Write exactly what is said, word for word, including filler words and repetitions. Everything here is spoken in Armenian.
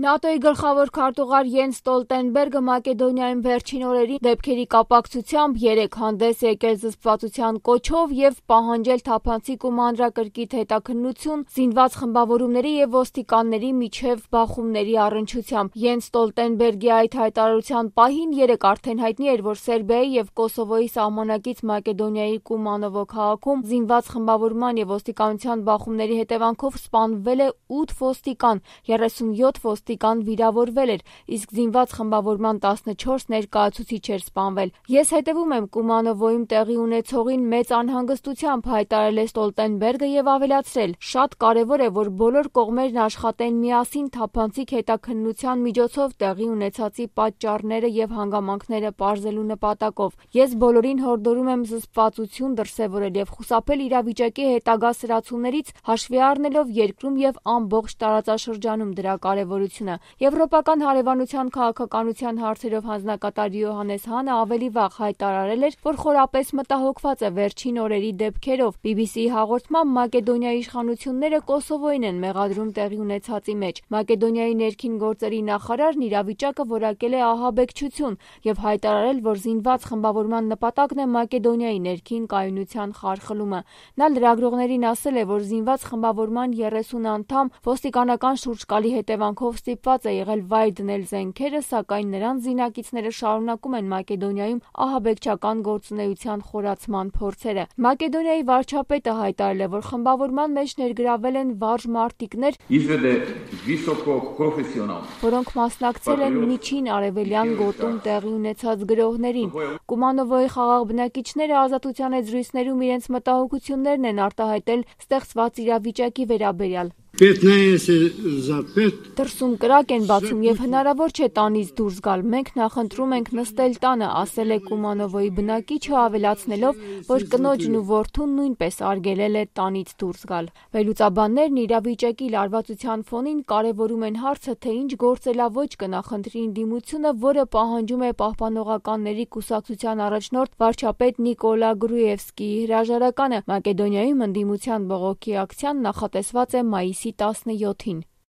ՆԱՏՕ-ի գլխավոր քարտուղար Յենս Ստոլտենբերգը Մակեդոնիայում վերջին օրերին դեպքերի կապակցությամբ երեկ հանդես եկել զսպվածության կոչով և պահանջել թափանցիկ ու մանրակրկիտ հետաքննություն զինված խմբավորումների և ոստիկանների միջև բախումների առնչությամբ։ Յենս Ստոլտենբերգի այդ հայտարարության պահին երեկ արդեն հայտնի էր, որ Սերբիայի և Կոսովոյի սահմանակից Մակեդոնիայի Կումանովո քաղաքում զինված խմբավորման և ոստիկանության բախումների հետևանքով սպանվել է ութ ոստիկան, երեսունյոթ ոստիկան վիրավորվել էր, իսկ զինված խմբավորման տասնչորս ներկայացուցիչ էր սպանվել։ Ես հետևում եմ Կումանովոյում տեղի ունեցողին մեծ անհանգստությամբ, հայտարարել է Ստոլտենբերգը և ավելացրել. շատ կարևոր է, որ բոլոր կողմերն աշխատեն միասին թափանցիկ հետաքննության միջոցով տեղի ունեցածի պատճառները և հանգամանքները պարզելու նպատակով։ Ես բոլորին հորդորում եմ զսպվածություն դրսևորել և խուսափել իրավիճակի հետագա սրացումներից՝ հաշվի առնելով երկրում և ամբողջ տարածաշրջանում դրա կարևորությունը։ Եվրոպական հարևանության քաղաքականության հարցերով հանձնակատար Յոհաննես Հանը ավելի վաղ հայտարարել էր, որ խորապես մտահոգված է վերջին օրերի դեպքերով։ բի բի սի-ի հաղորդմամբ Մակեդոնիայի իշխանությունները Կոսովոյին են մեղադրում տեղի ունեցածի մեջ։ Մակեդոնիայի ներքին գործերի նախարարն իրավիճակը որակել է ահաբեկչություն և հայտարարել, որ զինված խմբավորման նպատակն է Մակեդոնիայի ներքին կայունության խարխլումը։ Նա լրագրողներին ասել է, որ զինված խմբավորման երեսուն անդամ ոստիկանական շուրջկալի հետևանքով ստիպված է եղել վայր դնել զենքերը, սակայն նրանց զինակիցները շարունակում են Մակեդոնիայում ահաբեկչական գործունեության խորացման փորձերը։ Մակեդոնիայի վարչապետը հայտարարել է, որ խմբավորման մեջ ներգրավել են վարժ մարտիկներ, որոնք մասնակցել են Միջին Արևելյան գոտում տեղի ունեցած գրոհներին։ Կումանովոյի խաղաղ բնակիչները Ազատության եզրույցներում իրենց մտահոգություններն են արտահայտել ստեղծված իրավիճակի վերաբերյալ։ Դրսում կրակ են բացում և հնարավոր չէ տանից դուրս գալ։ Մենք նախընտրում ենք նստել տանը, ասել է Կումանովոյի բնակիչը, ավելացնելով, որ կնոջն ու որդուն նույնպես արգելել է տանից դուրս գալ։ Վերլուծաբաններն իրավիճակի լարվածության ֆոնին կարևորում են հարցը, թե ինչ գործելավոճ կնախընտրի ընդդիմությունը, որը պահանջում է Պահպանողականների կուսակցության առաջնորդ վարչապետ Նիկոլա Գրուևսկիի հրաժարականը։ Մակեդոնիայում ընդդիմության բողոքի ակցիան նախատեսված է մայիսի տասնյոթին։